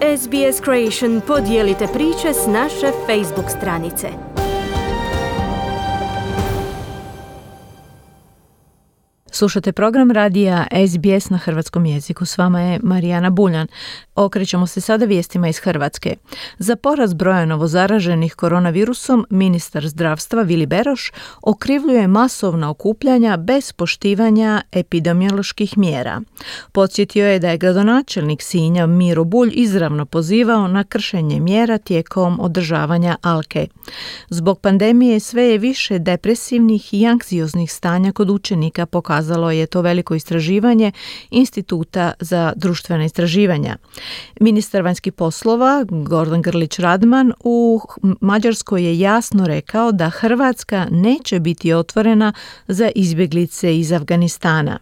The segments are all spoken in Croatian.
SBS Creation podijelite priče s naše Facebook stranice. Slušate program radija SBS na hrvatskom jeziku. S vama je Marijana Buljan. Okrećemo se sada vijestima iz Hrvatske. Za porast broja novozaraženih koronavirusom, ministar zdravstva Vili Beroš okrivljuje masovna okupljanja bez poštivanja epidemioloških mjera. Podsjetio je da je gradonačelnik Sinja Miro Bulj izravno pozivao na kršenje mjera tijekom održavanja Alke. Zbog pandemije sve je više depresivnih i anksioznih stanja kod učenika, pokazalo je to veliko istraživanje Instituta za društvena istraživanja. Ministar vanjskih poslova Gordan Grlić Radman u Mađarskoj je jasno rekao da Hrvatska neće biti otvorena za izbjeglice iz Afganistana.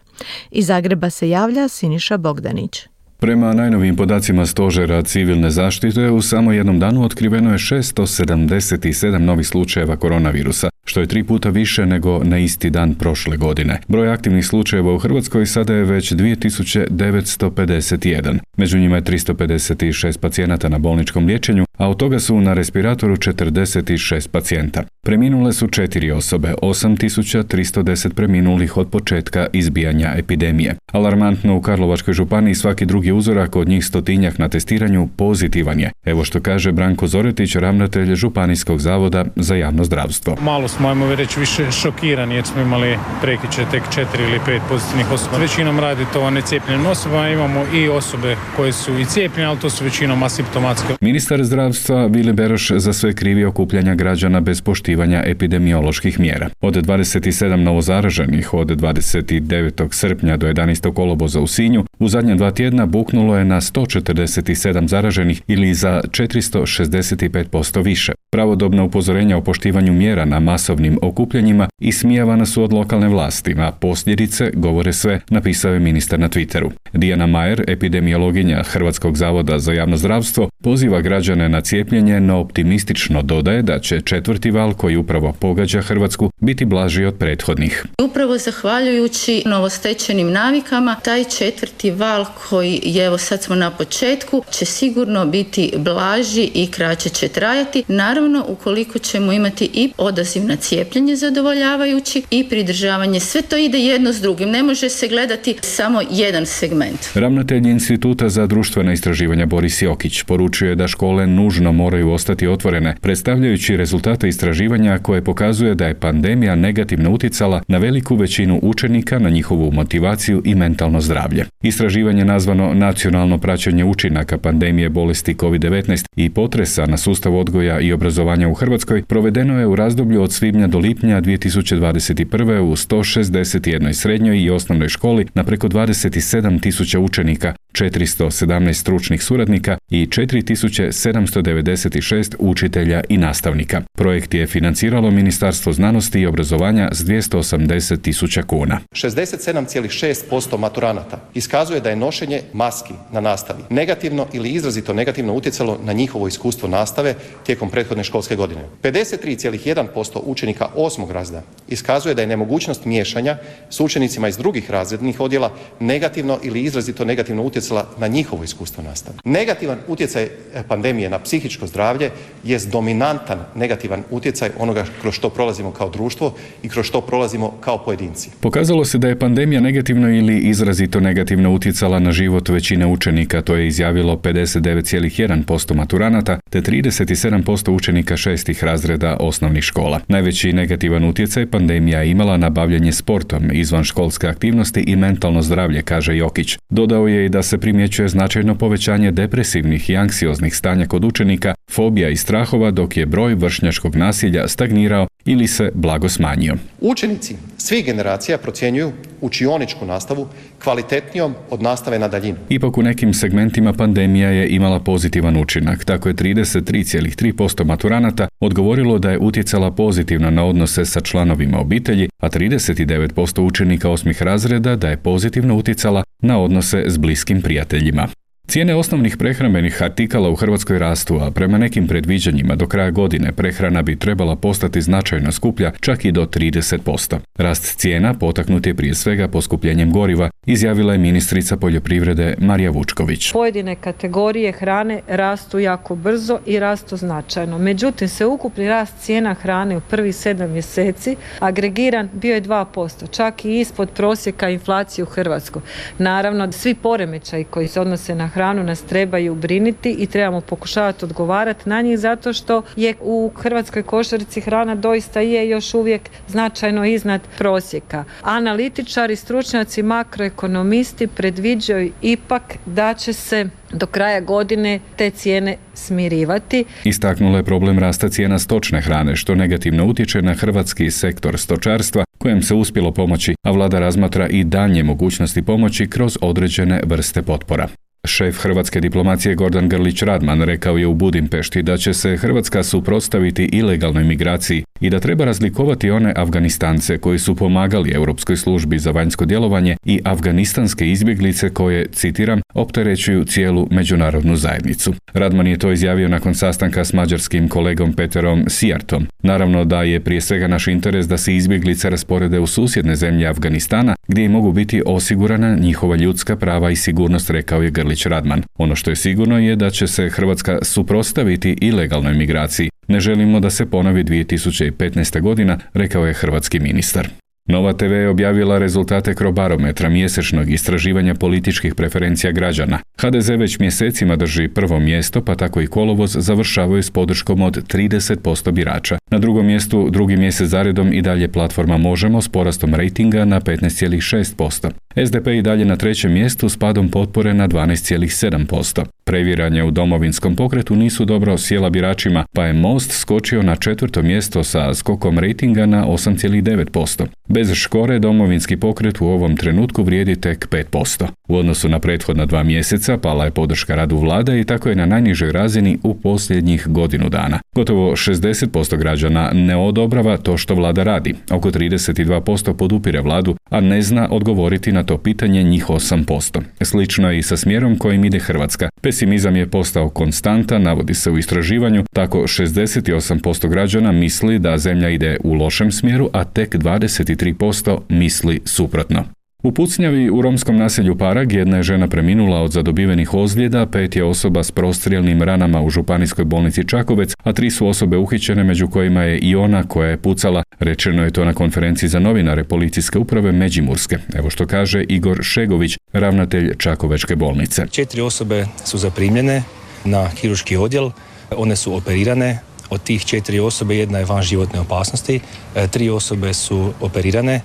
Iz Zagreba se javlja Siniša Bogdanić. Prema najnovijim podacima Stožera civilne zaštite, u samo jednom danu otkriveno je 677 novih slučajeva koronavirusa, što je 3 puta više nego na isti dan prošle godine. Broj aktivnih slučajeva u Hrvatskoj sada je već 2951. Među njima je 356 pacijenata na bolničkom liječenju, a od toga su na respiratoru 46 pacijenta. Preminule su 4 osobe, 8310 preminulih od početka izbijanja epidemije. Alarmantno, u Karlovačkoj županiji svaki drugi uzorak od njih 100-tinjak na testiranju pozitivan je. Evo što kaže Branko Zoretić, ravnatelj Županijskog zavoda za javno zdravstvo. Malo smo, ajmo reći, više šokirani jer smo imali prekiče tek 4 ili 5 pozitivnih osoba. Većinom radi to o necijepljenim osobama, imamo i osobe koje su i cijepljene, ali to su većinom asimptomatske. Ministar zdravstva Vili Beroš za sve krivi okupljanja građana bez poštivanja epidemioloških mjera. Od 27 novozaraženih od 29. srpnja do 11. kolovoza u Sinju, u zadnja 2 tjedna buknulo je na 147 zaraženih ili za 465% više. Pravodobna upozorenja o poštivanju mjera na masovnim okupljanjima ismijavana su od lokalne vlasti, a posljedice govore sve, napisao je ministar na Twitteru. Dijana Majer, epidemiologinja Hrvatskog zavoda za javno zdravstvo, poziva građane na cijepljenje, no optimistično dodaje da će 4. val koji upravo pogađa Hrvatsku biti blaži od prethodnih. Upravo zahvaljujući novostečenim navikama, taj 4. val koji je, evo sad smo na početku, će sigurno biti blaži i kraće će trajati. Naravno, ukoliko ćemo imati i odaziv na cijepljenje zadovoljavajući i pridržavanje, sve to ide jedno s drugim. Ne može se gledati samo jedan segment. Ravnatelj Instituta za društvena istraživanja Boris Jokić poručuje da škole nužno moraju ostati otvorene, predstavljajući rezultate istraživanja koje pokazuje da je pandemija negativno utjecala na veliku većinu učenika, na njihovu motivaciju i mentalno zdravlje. Istraživanje nazvano Nacionalno praćenje učinaka pandemije bolesti COVID-19 i potresa na sustav odgoja i obrazovanja u Hrvatskoj provedeno je u razdoblju od svibnja do lipnja 2021. u 161 srednjoj i osnovnoj školi na preko 27.000 učenika, 417 stručnih suradnika i 4796 učitelja i nastavnika. Projekt je financiralo Ministarstvo znanosti i obrazovanja s 280.000 kuna. 67,6% maturanata iskazuje da je nošenje maski na nastavi negativno ili izrazito negativno utjecalo na njihovo iskustvo nastave tijekom prethodne školske godine. 53,1% učenika 8. razreda iskazuje da je nemogućnost miješanja s učenicima iz drugih razrednih odjela negativno ili izrazito negativno utjecala na njihovo iskustvo nastave. Negativan utjecaj pandemije na psihičko zdravlje jest dominantan negativan utjecaj onoga kroz što prolazimo kao društvo i kroz što prolazimo kao pojedinci. Pokazalo se da je pandemija negativno ili izrazito negativno utjecala na život većine učenika, to je izjavilo 59,1% maturanata te 37% učenika 6. razreda osnovnih škola. Najveći negativan utjecaj pandemija je imala na bavljenje sportom, izvanškolske aktivnosti i mentalno zdravlje, kaže Jokić. Dodao je i da se primjećuje značajno povećanje depresivnih i anksioznih stanja kod učenika, fobija i strahova, dok je broj vršnjačkog nasilja stagnirao ili se blago smanjio. Učenici svih generacija procjenjuju učioničku nastavu kvalitetnijom od nastave na daljinu. Ipak u nekim segmentima pandemija je imala pozitivan učinak. Tako je 33,3% maturanata odgovorilo da je utjecala pozitivno na odnose sa članovima obitelji, a 39% učenika 8. razreda da je pozitivno utjecala na odnose s bliskim prijateljima. Cijene osnovnih prehrambenih artikala u Hrvatskoj rastu, a prema nekim predviđanjima do kraja godine prehrana bi trebala postati značajno skuplja, čak i do 30%. Rast cijena potaknut je prije svega poskupljenjem goriva, izjavila je ministrica poljoprivrede Marija Vučković. Pojedine kategorije hrane rastu jako brzo i rastu značajno. Međutim, sveukupni rast cijena hrane u prvih 7 mjeseci agregiran bio je 2%, čak i ispod prosjeka inflacije u Hrvatskoj. Naravno, svi poremećaji koji se odnose na hranu nas trebaju briniti i trebamo pokušavati odgovarati na njih zato što je u hrvatskoj košarici hrana doista je još uvijek značajno iznad prosjeka. Analitičari, stručnjaci, makroekonomisti predviđaju ipak da će se do kraja godine te cijene smirivati. Istaknula je problem rasta cijena stočne hrane, što negativno utječe na hrvatski sektor stočarstva, kojem se uspjelo pomoći, a vlada razmatra i daljnje mogućnosti pomoći kroz određene vrste potpora. Šef hrvatske diplomacije Gordan Grlić Radman rekao je u Budimpešti da će se Hrvatska suprotstaviti ilegalnoj migraciji i da treba razlikovati one Afganistance koji su pomagali Europskoj službi za vanjsko djelovanje i afganistanske izbjeglice koje, citiram, opterećuju cijelu međunarodnu zajednicu. Radman je to izjavio nakon sastanka s mađarskim kolegom Peterom Sijartom. Naravno da je prije svega naš interes da se izbjeglice rasporede u susjedne zemlje Afganistana, gdje mogu biti osigurana njihova ljudska prava i sigurnost, rekao je Grlić Radman. Ono što je sigurno je da će se Hrvatska suprotstaviti ilegalnoj migraciji. Ne želimo da se ponovi 2015. godina, rekao je hrvatski ministar. Nova TV je objavila rezultate Crobarometra, mjesečnog istraživanja političkih preferencija građana. HDZ već mjesecima drži prvo mjesto, pa tako i kolovoz završavaju s podrškom od 30% birača. Na drugom mjestu, drugi mjesec zaredom i dalje platforma Možemo s porastom rejtinga na 15,6%. SDP i dalje na trećem mjestu s padom potpore na 12,7%. Previranja u Domovinskom pokretu nisu dobro sjela biračima, pa je Most skočio na četvrto mjesto sa skokom rejtinga na 8,9%. Bez Škore Domovinski pokret u ovom trenutku vrijedi tek 5%. U odnosu na prethodna 2 mjeseca pala je podrška radu vlade i tako je na najnižoj razini u posljednjih godinu dana. Gotovo 60% građana ne odobrava to što vlada radi. Oko 32% podupire vladu, a ne zna odgovoriti na to pitanje njih 8%. Slično je i sa smjerom kojim ide Hrvatska. Pesimizam je postao konstantan, navodi se u istraživanju, tako 68% građana misli da zemlja ide u lošem smjeru, a tek 23% misli suprotno. U pucnjavi u romskom naselju Parag jedna je žena preminula od zadobivenih ozljeda, 5 je osoba s prostrijelnim ranama u županijskoj bolnici Čakovec, a 3 su osobe uhićene, među kojima je i ona koja je pucala. Rečeno je to na konferenciji za novinare policijske uprave Međimurske. Evo što kaže Igor Šegović, ravnatelj Čakovečke bolnice. 4 osobe su zaprimljene na kirurški odjel, one su operirane. Od tih 4 osobe jedna je van životne opasnosti, 3 osobe su operirane.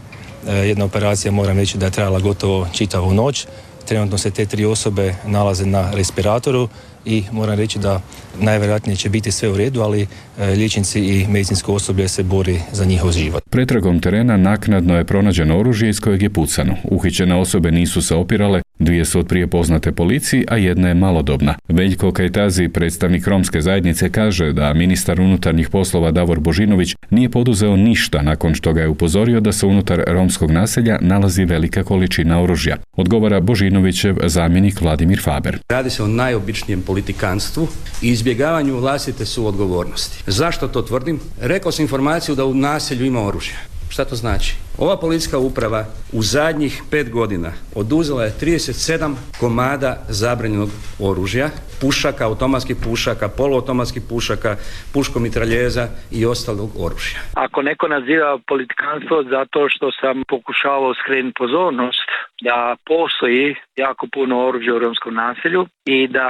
Jedna operacija, moram reći, da je trajala gotovo čitavu noć. Trenutno se te 3 osobe nalaze na respiratoru i moram reći da najvjerojatnije će biti sve u redu, ali liječnici i medicinsko osoblje se bori za njihov život. Pretragom terena naknadno je pronađeno oružje iz kojeg je pucano. Uhićene osobe nisu se opirale, 2 su otprije poznate policiji, a jedna je malodobna. Veljko Kajtazi, predstavnik romske zajednice, kaže da ministar unutarnjih poslova Davor Božinović nije poduzeo ništa nakon što ga je upozorio da se unutar romskog naselja nalazi velika količina oružja. Odgovara Božinovićev zamjenik Vladimir Faber. Radi se o najobičnijem politikanstvu i izbjegavanju vlastite suodgovornosti. Zašto to tvrdim? Rekao sam informaciju da u naselju ima oružja. Šta to znači? Ova policijska uprava u zadnjih 5 godina oduzela je 37 komada zabranjenog oružja, pušaka, automatskih pušaka, poluautomatskih pušaka, puškomitraljeza i ostalog oružja. Ako neko naziva politikanstvo zato što sam pokušavao skrenuti pozornost da postoji jako puno oružja u romskom naselju i da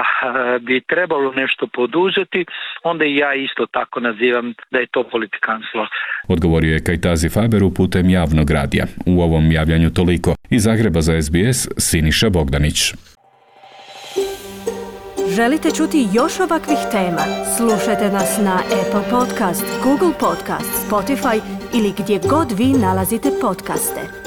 bi trebalo nešto poduzeti, onda i ja isto tako nazivam da je to politikanstvo. Odgovorio je Kajtazi Faberu putem javnog radija. U ovom javljanju toliko. Iz Zagreba za SBS, Siniša Bogdanić. Želite čuti još ovakvih tema? Slušajte nas na Apple Podcast, Google Podcast, Spotify ili gdje god vi nalazite podcaste.